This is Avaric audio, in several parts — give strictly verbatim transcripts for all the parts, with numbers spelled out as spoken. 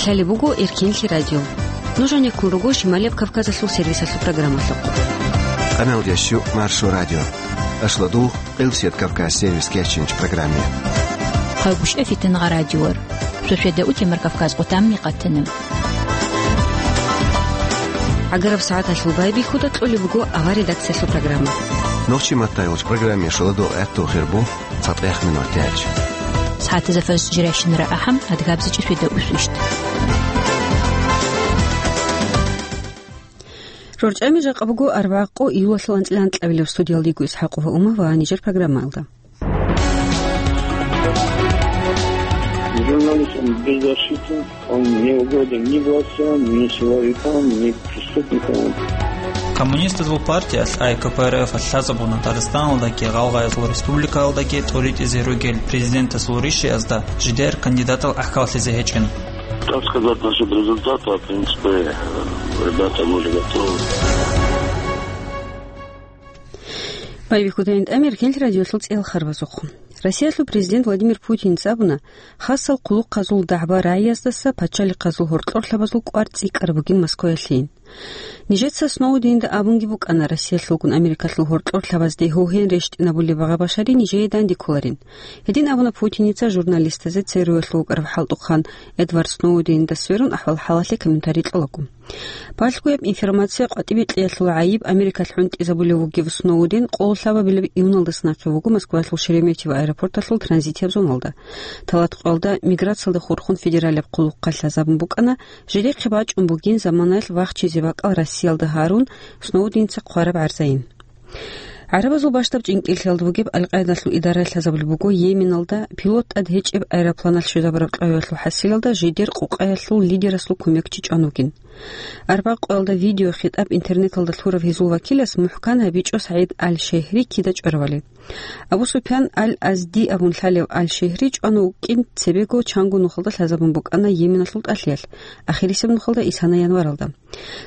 Лъалеб буго Эркенлъи радио. Нуж гьанеккун руго Шималияб Кавказалъул сервисалъул программалъухъ. Къаналдящу Маршо радио. Ашладул Къилсият Кавказ сервис кечинч программе. Хъайгуща фитнагъа радиор. Шошведа утемар Кавказ къутамни къатана. ГӀагараб сагӀаталъул байбихьуда кьолеб буго авар редакциялъул программа. Нохчи маттайгъуч программе шоладул гӀатту хирбу. ЦатӀех минутач. СагӀатазда фарз жирайщинара ахӀам, адгабзичӀи шведа усвищт. РорчӀами жакъа буго арбагъ къо июлалъул анцӀила анкьабилеб. Студиялдего ИсхӀакъова Ума ва нижер программаялда. Журналист он беззащитен. Он не угоден ни властям, ни силовикам, ни преступникам. Коммунистазул партиялъ ай КПРФ-алъ лъазабуна Дагъистаналдаги Гъалгъаязул республикаялдаги тӀуритӀизе ругел президентасул ришиязда жидер кандидатал гӀахьаллъизе гьечӀин. Как сказать насчет результата, в принципе, э, ребята были готовы. Байбихьудайин тӀамир гьел радиолъул цӀел харбазухъ. Россиялъул президент Владимир Путин абуна, хасал хъулухъазул дагӀба-рагӀияздаса пачалихъазул гьоркьорлъабазул кӀвар цӀикӀкӀараб бугин Москваялъейин. Нижеца Сноуденда абунги букӀана, Россиялъулгун Америкалъул гьоркьорлъабазде гьогьен рещтӀинабулеб багъа-башари нижее данде кколарин. Гьедин абуна Путиница журналистазе ЦРУ-ялъул вукӀарав хӀалтӀухъан Эдвард Сноуденда сверун ахӀвал-хӀалалъе комментарий кьолаго. Балъгояб информация къватӀибе кьеялъул гӀайиб Америкалъ хӀунтӀизабулев вугев Сноуден къоло лъабабилеб июналдаса нахъе вуго Москваялъул Шереметьево аэропорталъул транзитияб зоналда. Талат къоялда миграциялда хурхун федералияб хъулухъалъ лъазабун букӀана, жидехъе бачӀун бугин заманаялъ вахчизе бакӀал Россиялда гьарун, Сноуденца хъвараб гӀарзайин. ГӀарабазул бащдаб чӀинкӀиллъиялда бугеб Аль-Къаидалъул идара лъазабулеб буго Йеменалда пилот тӀад гьечӀеб аэропланалъ щвезабураб кьвавиялъул хӀасилалда жидер къукъаялъул лидерасул кумекчи чӀван вугин. Арбакъоялда видеохитӀаб интернеталда лъурав гьезул вакилас мухӀкан гьабичӀо СагӀид Аль-Шегьри кида чӀваравали. Абу Суфьян Аль-Азди абун лъалев Аль-Шегьри чӀван вукӀин цебего чанго нухалда лъазабун букӀана Йеменалъул тӀалъиялъ, ахирисеб нухалда исана январалда.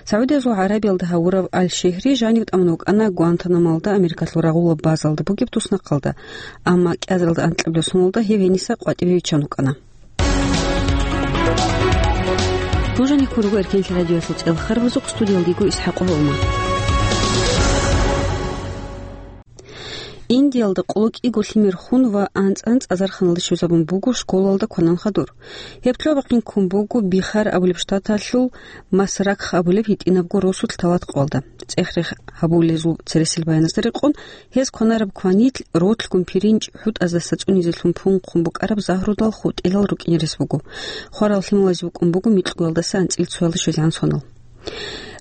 СагӀудиязул ГӀарабиялда гьавурав Аль-Шегьри жанив тӀамун вукӀана Гуантанамолда, Америкалъул рагъулаб базалда бугеб туснахъалда, амма кӀиазаралда анкьабилеб соналда гьев гьениса къватӀибе виччан вукӀана. Нуж гьанеккун руго Эркенлъи радиоялъул цӀел харбазухъ, студиялдего ИсхӀакъова Ума. Индиялда къоло кӀиго лъимер хун ва анцӀ-анцӀ азарханалда щвезабун буго школалда кванан хадур. Гьеб лъугьа-бахъин ккун буго Бихар абулеб штаталъул Масракх абулеб гьитӀинабго росулъ талат къоялда. ЦӀех-рех гьабулезул цересел баяназда рекъон, гьез кванараб кванилъ ролъгун пиринч хӀутӀаздаса цӀунизелъун пунхъун букӀараб загьрудал хутӀилал рукӀине рес буго. Хварал лъималазе букӀун буго микьгоялдаса анцӀил цоялда щвезегӀан сонал.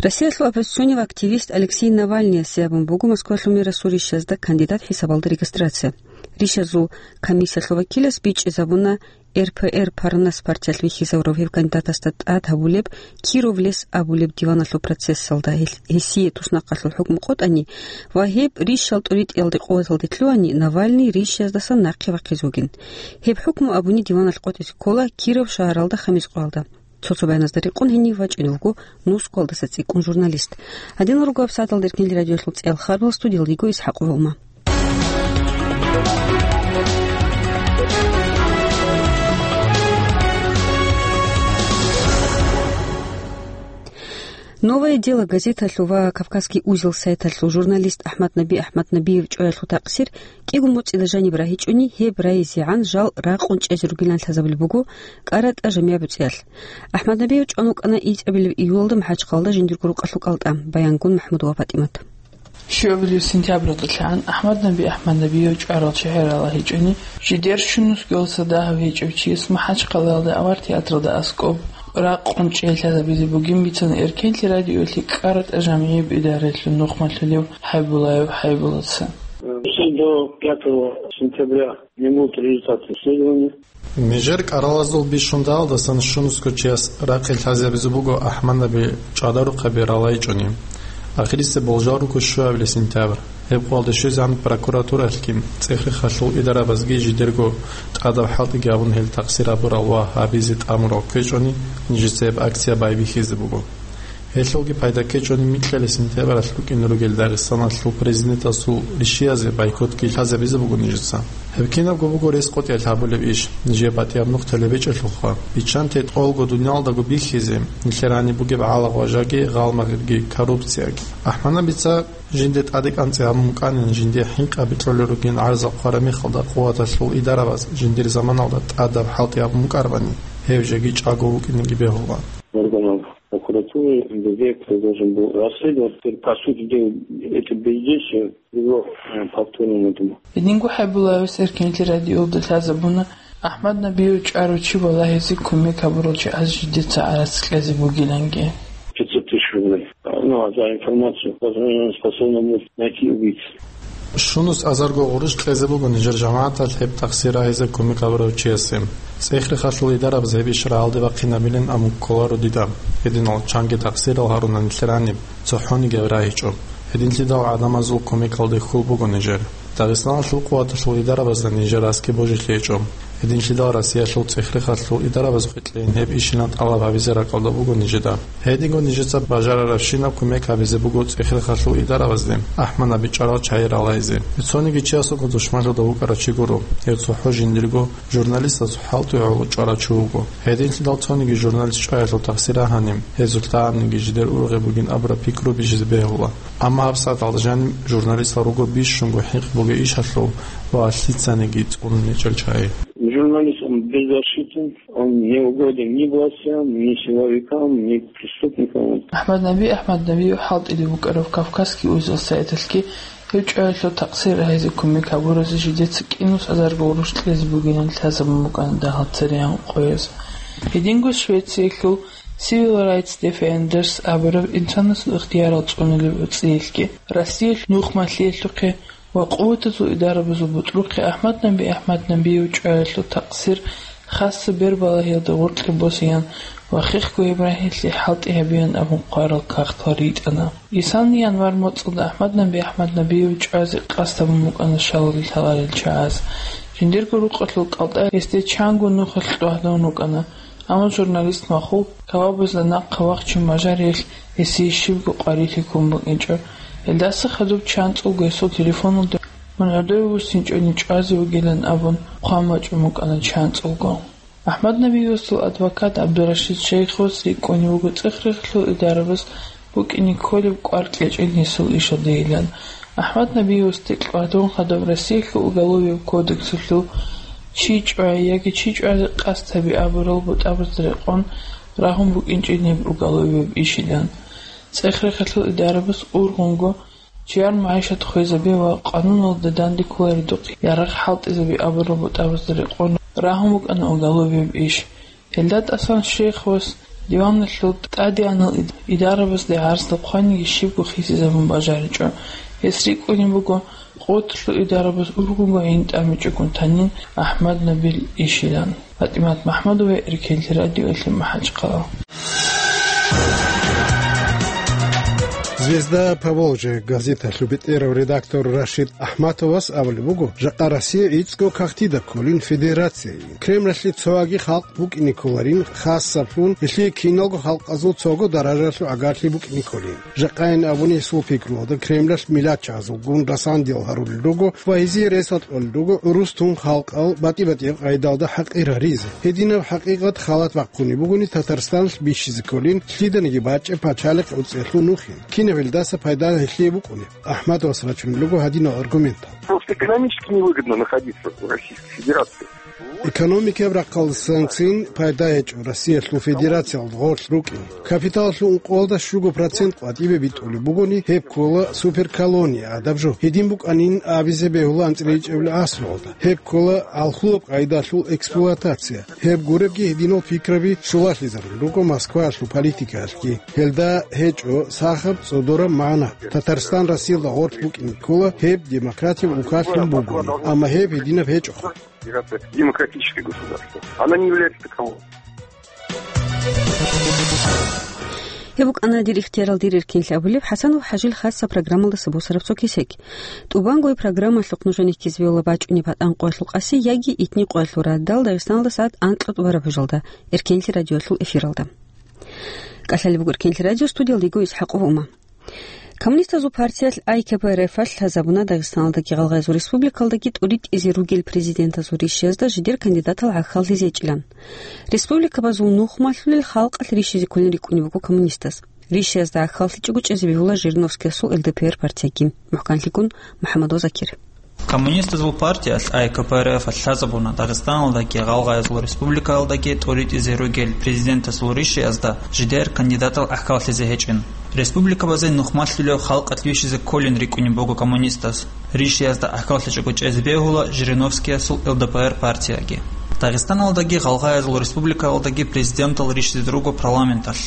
Россиялъул оппозиционный активист Алексей Навальныясе абун буго Москвалъул мэрасул ришазда кандидат хӀисабалда регистрация. Ришазул комиссиялъул вакилас бичӀчӀизабуна РПР Парнас партиялъ вихьизавурав гьев кандидатасда тӀад гьабулеб Киров лес абулеб диваналъул процессалда гьел-, гьесие туснахъалъул хӀукму къотӀани ва гьеб ришал тӀуритӀиялде къуваталде лъугьани, Навальный ришаздасан нахъе вахъизе вугин. Гьеб хӀукму абуни диваналъ къотӀизе ккола Киров шагьаралда хамис къоялда. Цо-цо баяназда рекъон гьенив вачӀинев вуго Москвалдаса цӀикӀкӀун журналист. Гьадинал руго гьабсагӀаталда Эркенлъи радиоялъул цӀел харбал, студиялда йиго ИсхӀакъова Ума. «Новое дело» газеталъул ва «Кавказский узел» сайталъул журналист АхӀмад-Наби АхӀмаднабиев чӀваялъул такъсир кӀиго моцӀида жаниб рагьичӀони, гьеб райизегӀан жал ракъун чӀезе ругилан лъазабулеб буго КӀаратӀа жамигӀ буцӀиялъ. АхӀмаднабиев чӀван вукӀана ицӀабилеб июлалда МахӀачхъалда жиндирго рукъалъул кӀалтӀа, баянгун МахӀмудова ПатӀимат. Щуабилеб сентябралдалъан АхӀмаднаби АхӀмаднабиев чӀварал чагӀи ралагьичӀони, жидер щунусгоялдаса дагьав гьечӀев чияс МахӀачхъалаялда авар театралда аскӀоб ракъун чӀей лъазабизе бугин бицана Эркенлъи радиоялъе КӀаратӀа жамигӀиб идараялъул нухмалъулев ХӀайбулаев ХӀайбулатца. До пятого сентября не будут результаты исследования. Нижер кӀаралазул бищундаялдасан щунусго чияс ракъи лъазабизе буго АхӀмаднаби чӀадарухъаби ралагьичӀони. Ахирисеб болжал руго щуабилеб сентябрь. Гьеб къоялда щвезегӀан прокуратуралъги, цӀех-рехалъул идарабазги жидерго тӀадаб хӀалтӀиги гьабун гьел такъсир гьабурал ва гьабизе тӀамурал ккечӀони, нижеца гьеб акция байбихьизе буго. Гьелъулги пайда ккечӀони, микьилел сентябралъ рукӀине ругел Дагъистаналъул президентасул ришиязе бойкотги лъазабизе буго нижеца. Гьеб кинабго буго рес къотӀиялъ гьабулеб иш, нижее батӀияб нух телебечӀелъулха. Биччанте тӀолго дуниялдаго бихьизе, нилъер гьаниб бугеб гӀалагъважаги, гъалмагъирги, коррупцияги. АхӀмаднабица жинде тӀаде кӀанцӀи гьабун букӀанин, жинде хӀинкъаби кьолел ругин гӀарзал хъвараб мехалда, къуваталъул идарабаз жиндир заманалда тӀадаб хӀалтӀи гьабун букӀарабани, гьев жеги чӀаго вукӀинеги бегьула. Органов прокуратуры, ГБ, кто должен был расследовать, теперь, по сути дела, это бездействие привело, э, к повторному этому. Гьединго ХӀайбуллаевас Эркенлъи радиоялда лъазабуна, АхӀмаднабиев чӀарав чи балагьизе кумек гьабурал чагӀаз жидеца гӀарац кьезе бугиланги. Пятьсот тысяч рублей. Ну, а за информацию, возможно, способна будет найти убийц. Щунус азарго гъурущ кьезе буго нижер жамагӀаталъ гьеб тахсир рагьизе кумек гьабурав чиясе. ЦӀехрехалъул идарабаз гьеб иш рагӀалде бахъинабилин абун кколаро дида. Гьединал чанги тахсирал гьаруна нилъер гьаниб, цохӀониги гьеб рагьичӀо. Гьединлъидал гӀадамазул кумекалде хьул буго нижер. Дагъистаналъул къуваталъул идарабазда нижер аски божилъи гьечӀо. Гьединлъидал Россиялъул цӀехрехалъул идарабаз кьейин гьеб ишилан тӀалаб гьабизе ракӀалда буго нижеда. Гьединго нижеца бажарарабщинаб кумек гьабизе буго цӀехрехалъул идарабазде, АхӀмаднаби чӀарал чагӀи ралайзе. Гьев цониги чиясулго душманлъуда вукӀарав чи гуро. Гьев цохӀо жиндирго журналистазул хӀалтӀи гӀоло чӀварав чи вуго. Гьединлъидал цониги журналист чӀваялъул тахсир рагьани, гьезул лъабабниги жидер ургъи бугин абураб пикру бижизе бегьула. Амма гьабсагӀаталда жаниб журналистал руго бищунго хӀинкъи бугей ишалъул ва лъицаниги цӀунун гьечӀел чагӀи. Журналист, он беззащитен, он не угоден ни властям, ни силовикам, ни преступникам. АхӀмаднаби АхӀмаднабиев хӀалтӀизе вукӀарав Кавказский узел сайталъги гьев чӀваялъул тахсир рагьизе кумек гьабуразе жидеца кӀинус азарго гъурущ кьезе бугилан лъазабун букӀана дагьал цереян къояз. Гьединго Швециялъул Civil Rights Defenders абураб инсанасул ихтиярал цӀунулеб цӀиялъги, Россиялъ нухмалъиялъухъе ва къуватазул идарабазул бутӀрухъе АхӀмаднаби АхӀмаднабиев чӀваялъул тахсир хасса бербалагьиялда гъоркье босеян ва хехго гьеб рагьилъи хӀалтӀи гьабеян абун хъварал кагътал ритӀана. Исални январь моцӀалда АхӀмаднаби АхӀмаднабиев чӀвазе къасд гьабун букӀана шалал лъаларел чагӀаз. Жиндирго рукъалъул кӀалтӀа гьесде чанго нухалъ тӀагӀдун рукӀана. Амма журналист Махул кавабазда нахъа вахчун бажариялъ гьесие щибго къварилъи ккун букӀинчӀо. Гьелдаса хадуб чанцӀулго гьесул телефоналда мун гӀодове вуссинчӀони чӀвазе вугилан абун хъван бачӀун букӀана чанцӀулго. АхӀмаднабиевасул адвокат ГӀабдурашид Шейховас рикӀкӀунев вуго цӀехрехалъул идарабаз букӀине кколеб кӀвар кьечӀел гьесул ишалдейилан. АхӀмаднабиевасде тӀадвуссун хадуб Россиялъул уголовияб кодексалъул чи чӀвай яги чи чӀвазе къасд гьаби абурал бутӀабазда рекъон рагьун букӀинчӀин гьеб уголовияб ишилан. ЦӀехрехалъул идарабаз ургъунго чияр магӀишат хвезаби ва къануналда данде кколаридухъ ярагъ хӀалтӀизаби абурал бутӀабазда рекъон рагьун букӀана уголовияб иш. Гьелда тӀасан Шейховас диваналъул тӀадегӀанал ид-, идарабазде гӀарздал хъваниги щибго хисизабун бажаричӀо. Гьес рикӀкӀунеб буго къуваталъул идарабаз ургъунго гӀин тӀамичӀогун танин АхӀмаднабил ишилан. ПатӀимат МахӀмудова, Эркенлъи радиоялъе, МахӀачхъала. «Звезда Поволжья» газеталъул бетӀерав редактор Рашид АхӀматовас абулеб буго, жакъа Россия гӀицӀго кагътида кколин федерацияйин. Кремлалъе цояги халкъ букӀине кколарин, хасаблъун гьелъие киналго халкъазул цого даражалъул гӀагарлъи букӀине кколин. Жакъайин абуни, гьесул пикруялда Кремлалъ миллатчагӀазулгун расандиял гьарулел руго ва гьезие ресал кьолел руго гӀурус тун халкъал батӀи-батӀияб къайдалда хӀакъир гьаризе. Гьединаб хӀакъикъат халат бахъунеб бугони, Татарстаналъ бищизе кколин лъиданиги бачӀеб пачалихъ гӀуцӀиялъул нухин. Кинаб гьелдаса пайда гьелъие букӀунеб? АхӀматовас рачунел руго гьадинал аргументал. Просто экономически невыгодно находиться в Российской Федерации. Экономикаяб рахъалдасанцин пайда гьечӀо Россиялъул Федерациялда гъорлъ рукӀин. Капиталалъул ункъоялда щуго процент къватӀибе битӀулеб бугони, гьеб ккола суперколония гӀадаб жо. Гьедин букӀанин абизе бегьула анцӀила ичӀабилеб гӀасруялда. Гьеб ккола алхулаб къайдалъул эксплуатация. Гьеб гуребги гьединал пикраби щулалъизарун руго Москваялъул политикаялъги. Гьелда гьечӀо сахаб цӀодораб магӀна. Татарстан Россиялда гъорлъ букӀине ккола гьеб демократияб улкалъун бугони, амма гьеб гьединаб гьечӀоха. Демократическое государство. Она не является таковым. Гьеб букӀана «Дир ихтиярал, дир эркенлъи» абулеб ХӀасанов ХӀажил хасаб программалдаса босараб цо кесек. ТӀубанго программалъухъ нужеда ккезе бегьула бачӀунеб батӀан къоялъул къаси яги итни къоялъул радал Дагъистаналда сагӀат анкьго тӀубараб гьужалда, Эркенлъи радиоялъул эфиралда. КӀалъалеб буго Эркенлъи радио, студиялда йиго ИсхӀакъов Ума. Коммунистазул партиялъ А К П Р Ф-алъ лъазабуна Дагъистаналдаги Гъалгъайзул республикалдаги тӀуритӀизе ругел президентазул ришиязда жидер кандидатал гӀахьаллъизе гьечӀилан. Республикабазул нухмалъулел халкъалъ ришизе кколин рикӀкӀунеб буго коммунистаз. Ришиязда гӀахьаллъичӀого чӀезе бегьула Жириновскиясул Л Д П Р партияги. МухӀканлъикӀун МухӀаммадов Закир. Коммунистазул партиялъ А К П Р Ф-алъ лъазабуна Дагъистаналдаги Гъалгъайзул республикаялдаги тӀуритӀизе ругел президентасул ришиязда жидер кандидатал гӀахьаллъизе гьечӀин. Республикабазе нухмалъулев халкъалъ вищизе кколин рикӀкӀунеб буго коммунистаз. Ришиязда гӀахьаллъичӀого чӀезе бегьула Жириновскиясул Л Д П Р партияги. Дагъистаналдаги Гъалгъайзул республикаялдаги президентал ришизе руго парламенталъ.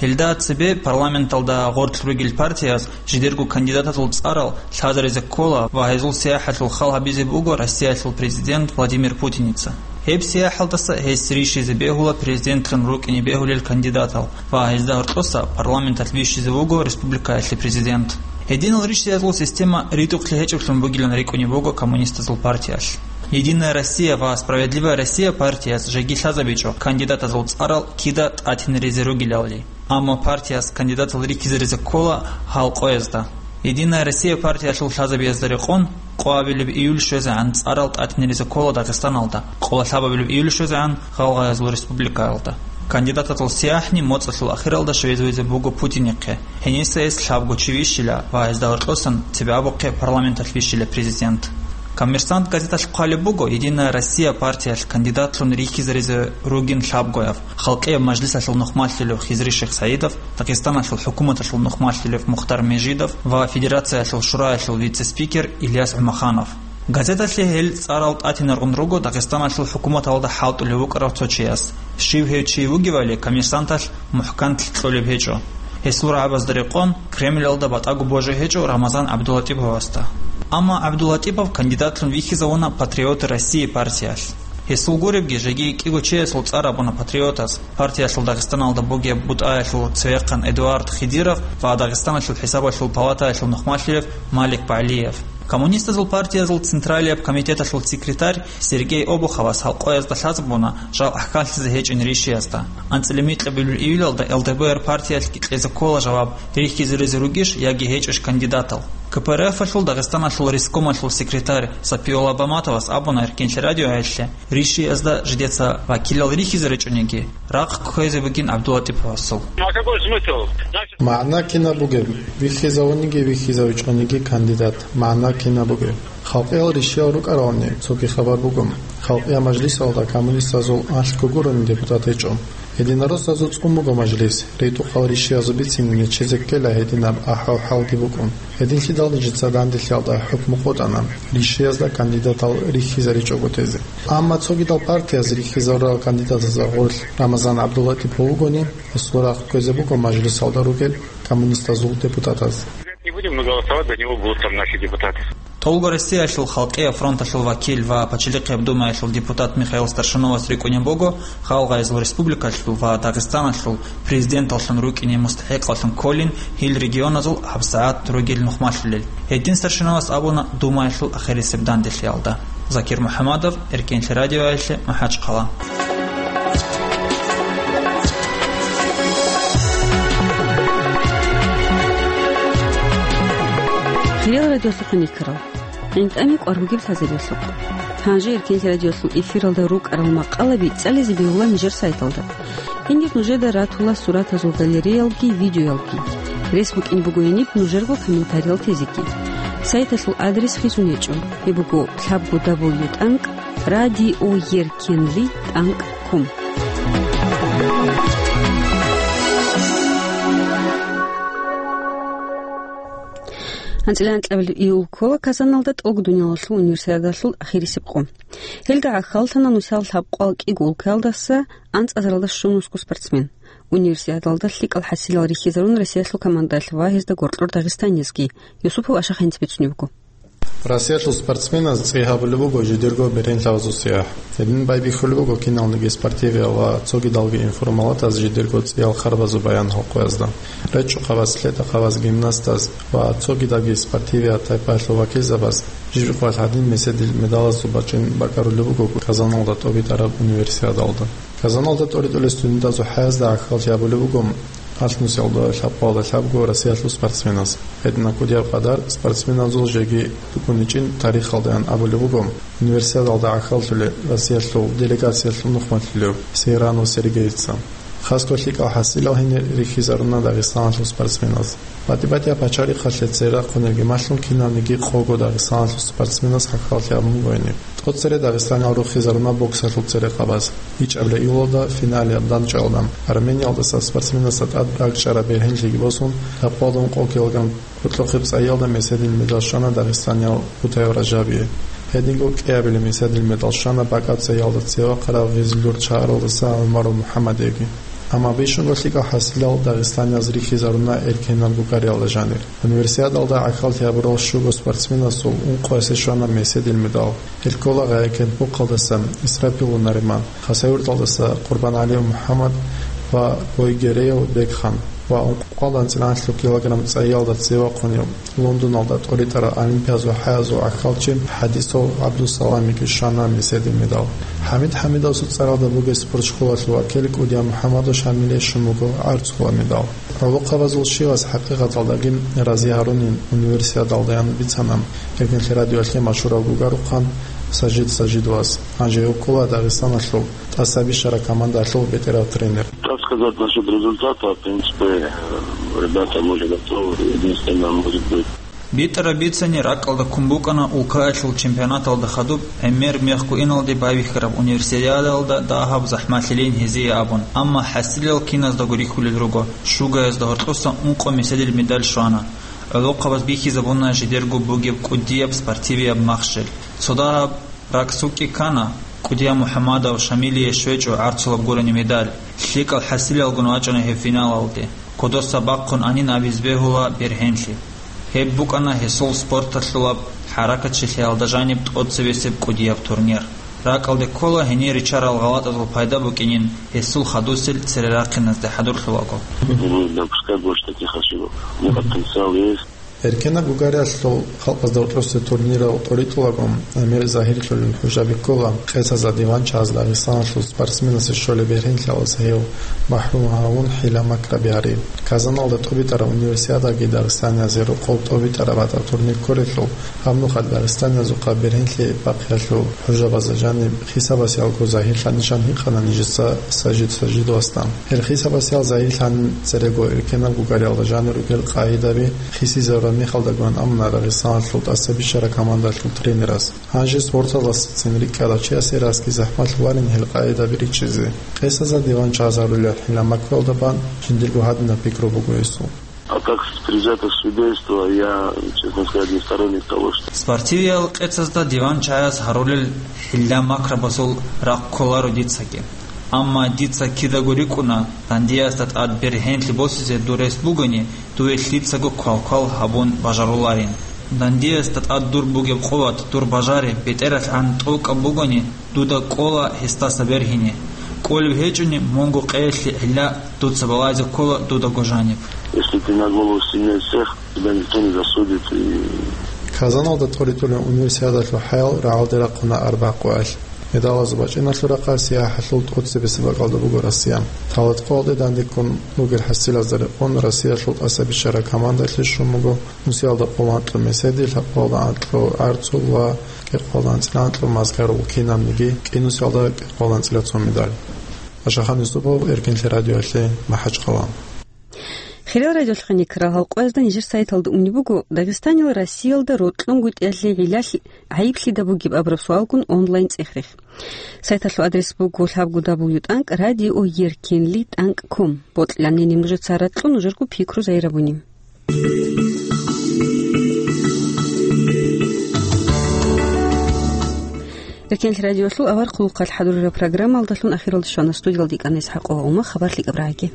Гьелда цебе парламенталда гъорлъ ругел партияз жидерго кандидатазул цӀарал лъазаризе ккола ва гьезул сияхӀалъул хал гьабизе буго Россиялъул президент Владимир Путиница. Гьеб сияхӀалдаса гьес ришизе бегьула президентлъун рукӀине бегьулел кандидатал ва гьезда гьоркьоса парламенталъ вищизе вуго республикаялъе президент. Гьединал ришиязул система ритӀухълъи гьечӀеблъун бугилан рикӀкӀунеб буго коммунистазул партиялъ. «Единая Россия» ва «Справедливая Россия» партияз жеги лъазабичӀо кандидатазул цӀарал кида тӀатинаризе ругелалли. Амма партияс кандидатал рихьизаризе ккола гьал къоязда. «Единая Россия» партиялъул лъазабиязда рекъон, къоабилеб июль щвезегӀан цӀарал тӀатинаризе ккола Дагъистаналда, къоло лъабабилеб июль щвезегӀан Гъалгъайзул республикаялда. Кандидатазул сияхӀни моцӀалъул ахиралда щвезе вуго Путинихъе. Гьениса гьес лъабго чи вищила ва гьезда гьоркьосан цебе абухъе парламенталъ вищила президент. «Коммерсант» газеталъ хъвалеб буго, «Единая Россия» партиялъ кандидатлъун рихьизаризе ругин лъабгояв, Халкъияб мажлисалъул нухмалъулев Хизри Шихсаидов, Дагъистаналъул хӀукуматалъул нухмалъулев Мухтар Межидов ва Федерациялъул шураялъул вице-спикер Ильяс ГӀумаханов. Газеталъе гьел цӀарал тӀатинаргъун руго Дагъистаналъул хӀукуматалда хӀалтӀулев вукӀарав цо чияс. Щив гьев чи вугевали, «Коммерсанталъ» мухӀканлъи кьолеб гьечӀо. Гьесул рагӀабазда рекъон, Кремлалда батӀаго божи гьечӀо Рамазан ГӀабдулатӀиповасда. Амма ГӀабдулатӀипов кандидатлъун вихьизавуна «Патриоты России» партиялъ. Гьесул гуребги, жеги кӀиго чиясул цӀар абуна патриотаз, партиялъул Дагъистаналда бугеб бутӀаялъул цевехъан Эдуард Хидиров ва Дагъистаналъул хӀисабалъул палатаялъул нухмалъулев Малик БагӀлиев. Коммунистазул партиязул Централияб комитеталъул секретарь Сергей Обуховас гьал къоязда лъазабуна жал гӀахьаллъизе гьечӀин ришиязда. АнцӀила микьабилеб июлалда Л Д П Р партиялъги кьезе ккола жаваб, рихьизаризе ругищ яги гьечӀищ кандидатал. К П Р Ф-алъул Дагъистаналъул рискомалъул секретарь Сапиулла Баматовас абуна Эркенлъи радиоялъе, ришиязда жидеца вакилал рихьизаричӀониги, рахъ кквезе бугин ГӀабдулатӀиповасул. Ну, а какой смысл? Значит, МагӀна кинаб бугеб, вихьизавуниги вихьизавичӀониги кандидат, магӀна кинаб бугеб? Халкъиял ришиял рукӀарални цоги хабар буго. Халкъиял мажлисалда коммунистазул алъго гурони депутат гьечӀо. Единороссазул цӀун буго мажлис, ритӀухъал ришиязул бицине нечезе ккела гьединаб ахӀвал-хӀалги букӀун. Гьединлъидал нижеца данделъиялда хӀукму къотӀана, ришиязда кандидатал рихьизаричӀого тезе. Амма цогидал партияз рихьизарурал кандидатазда гъорлъ Рамазан ГӀабдулатӀипов вугони, гьесул рахъ кквезе буго мажлисалда ругел коммунистазул депутатаз. Не будем, но голосовать за него будут там наши депутаты. Толго Россиялъул Халкъияб фронталъул вакил ва Пачалихъияб Думаялъул депутат Михаил Старшиновас рикӀкӀунеб буго Гъалгъайзул республикалъул ва Дагъистаналъул президенталлъун рукӀине мустахӀикълъун кколин гьел регионазул гьабсагӀат ругел нухмалъулел. Гьедин Старшиновас абуна Думаялъул ахирисеб данделъиялда. Закир МухӀаммадов, Эркенлъи радиоялъе, МахӀачхъала. Хириял радиолъухъ хӀинкъарал. ГӀинтӀами кӀвар бугеб лъазабиялъухъ. Гьанже Эркенлъи радиолъул эфиралда рукӀарал макъалаби цӀализе бегьула нижер сайталда. Гьенир нужеда ратула суратазул галереялги видеоялги. Рес букӀин буго гьениб нужерго комментариял тезеги. Сайталъул адрес хисун гьечӀо. Гьеб буго лъабго дабл ю тӀанкӀ радиоеркенлъи тӀанкӀ ком. АнцӀила анкьабилеб июль ккола Казаналда тӀолго дуниялалъул универсиадалъул ахирисеб къо. Гьелда гӀахьаллъана нусал лъабкъоялда кӀиго улкаялдаса анцӀазаралда щунусго спортсмен. Универсиадалда лъикӀал хӀасилал рихьизарун Россиялъул командаялъ ва гьезда гъоркьор дагъистанецги. Юсупов Ашаханец бицунеб буго. Россиялъул спортсменаз цӀи гьабулеб буго жидерго беренлъабазул сияхӀ. Гьедин байбихьулеб буго киналниги спортивиял ва цогидалги информалатаз жидерго цӀиял харбазул баян гьукъуязда. РечӀчӀухъабаз, лъетахъабаз, гимнастаз ва цогидалги спортивият тайпаялъул вакилзабаз жиб-жиб къоялъ гьадин меседил медалазул бачӀин бакӀарулеб буго Казаналда тӀобитӀараб универсиадалда. Казаналда тӀоритӀулел студентазул хӀаязда гӀахьаллъи гьабулеб буго алъ нусиялда лъабкъоялда лъабго Россиялъул спортсменаз. Гьединаб кӀудияб къадар спортсменазул жеги букӀуничӀин тарихалдаян абулеб буго Универсиадалда гӀахьаллъулел Россиялъул делегациялъул нухмалъулев Сейранов Сергейица. Хасго лъикӀал хӀасилал гьенир рихьизаруна Дагъистаналъул спортсменаз. БатӀи-батӀияб пачарихъалъе цере рахъунелги малъун кинавниги къого Дагъистаналъул спортсменаз гӀахьаллъи гьабун буго гьениб. ТӀоцере Дагъистаниял руххизаруна боксалъул церехъабаз. ИчӀабилеб июлалда финалияб дандчӀвалда Армениялдаса спортсменасда тӀад ракӀчӀараб бергьенлъиги босун, лъабкъоялда ункъо килограмм кӀоркьохъеб цӀайялда меседил медал щвана дагъистаниял Бутаев Ражабие. Гьединго кӀиабилеб меседил медал щвана бакӀаб цӀайялда цеве вахъарав гъезилъур чагӀаралдаса ГӀумаров МухӀаммадиеги. Амма бищунго лъикӀал хӀасилал дагъистанияз рихьизаруна эркенаб гугариялда жанир. Универсиадалда гӀахьаллъи гьабурал щуго спортсменасул ункъоясе щвана меседил медал. Гьел ккола Гъайкент-Мухъалдаса Исрапил Нариман, Хасавюрталдаса КъурбангӀалиев МухӀаммад ва Гойгереев Бекхан ва ункъоялда анцӀила анлъго килограмм цӀайялда цеве вахъунев, Лондоналда тӀоритӀараб Олимпиазул хӀаязул гӀахьалчи ХӀадисов ГӀабдусаламиги щвана меседил медал. ХӀамид ХӀамидовасул цӀаралда бугеб спортшколалъул вакил КӀудияв МухӀаммадов Шамилие щун буго гӀарцула медал. ГӀолохъабазул щивас хӀакъикъаталдаги рази гьарунин универсиадалдаян бицана Эркенлъи радиоялъе машгьурав гугарухъан Сажид Сажидовас. Гьанже гьев ккола Дагъистаналъул тӀаса бищараб командалъул бетӀерав тренер. Как сказать насчет результата? В принципе, э, ребята, может, готовы. Единственное, может быть, БитӀараб бицани ракӀалда ккун букӀана улкаялъул чемпионаталда хадуб гӀемер мехго иналде байбихьараб универсиадалда дагьаб захӀмалъилин гьезие абун, амма хӀасилал киназдаго рихьулел руго, щугаязда гьоркьоса ункъо меседил медаль щвана. ГӀолохъабаз бихьизабуна жидерго бугеб кӀудияб спортивияб махщел. Цо дагьаб ракӀ цукӀкӀи ккана, КӀудияв МухӀаммадов Шамилие щвечӀо гӀарцулаб гурони медаль. ЛъикӀал хӀасилалгун вачӀана гьев финалалде. Кодоса бахъун анин абизе бегьула бергьенлъи. Гьеб букӀана гьесул спорталъулаб хӀаракатчилъиялда жаниб тӀоцебесеб кӀудияб турнир. РакӀалде ккола гьенир риччарал гъалатӀазул пайда букӀинин гьесул хадусел цере рахъиназде хӀадурлъулаго. Не допускать больше таких ошибок. У меня потенциал есть. Эркенаб гугариялъул халкъазда гьоркьоса турнирал тӀоритӀулаго гӀемер загьирлъулел хӀужаби ккола къецазда диван чагӀаз Дагъистаналъул спортсменасе щолеб бергьенлъиялдаса гьев махӀрум гьавун хӀила-макраби гьарин. Казаналда тӀобитӀараб универсиадаги дагъистаниязе рокъов тӀобитӀараб гьатӀаб турнир кколелъул, гьаб нухалъ дагъистаниязухъа бергьенлъи бахъиялъул хӀужабазда жаниб хисабасеялго загьирлъанищан гьикъана нижеца Сажид Сажидовасда. Гьел хисабасеял загьирлъанин церего эркенаб гугариялда жанир ругел къагӀидаби хисизарураб мехалдагун амуна Дагъистаналъул тӀаса бищараб командалъул тренерас. Гьанже спорталдасацин рикӀкӀарав чиясе расги захӀмалъуларин гьел къагӀидаби ричӀчӀизе. Къецазда диван чагӀаз гьарулел хӀила-макраялда бан жиндирго гьадинаб пикру буго гьесул. А как с приза-то судейства, я, честно сказать, не сторонник того, что... Спортивиял къецазда диван чагӀаз гьарулел хӀила-макрабазул рахъ кколаро дицаги. Амма дица кидаго рикӀкӀуна, дандиясда тӀад бергьенлъи босизе дур рес бугони, дуе лъицаго квал-квал гьабун бажаруларин. Дандиясда тӀад дур бугеб къуват, дур бажари бетӀералъан тӀокӀаб бугони, дуда кӀола гьесдаса бергьине. КӀолеб гьечӀони, мунго къеялъе гӀилла дуца балагьизе ккола дудаго жаниб. Если ты на голову сильнее всех, тебя никто не засудит и... Казаналда тӀоритӀулел универсиадалъул хӀаял рагӀалде рахъуна арбагь къоялъ. Медалазул бачӀиналъул рахъалъ СиягӀахӀалъул тӀоцебесеб бакӀалда буго Россия. Талаткъоялде дандеккун ругел хӀасилазда рекъон Россиялъул тӀаса бищараб командалъе щун буго нусиялда къоло анкьго меседил, лъабкъоялда анкьго гӀарцул ва кӀикъоялда анцӀила анкьго мазгар ва кинабниги кӀинусиялда кӀикъоялда анцӀила цо медаль. Ашахан Юсупов, Эркенлъи радиоялъе, МахӀачхъала. Хириял радиолъухъ гьаникрал гьалкъоязда нижер сайталда унеб буго Дагъистанил Россиялда рокьунгутӀиялъе гӀилалъ гӀайиблъидаб бугеб абураб суалгун онлайн цӀех-рех. Сайталъул адрес буго лъабго дабл ю тӀанкӀ радио еркенли тӀанкӀ ком. Бокьани нужеца ракьун нужерго пикру загьирабуни. Эркенлъи радиолъул авар хъулухъалъ хӀадурараб программалдалъун ахиралде щвана. Студиялда икӀана ИсхӀакъова Ума. Хабар лъикӀаб рагӀаги.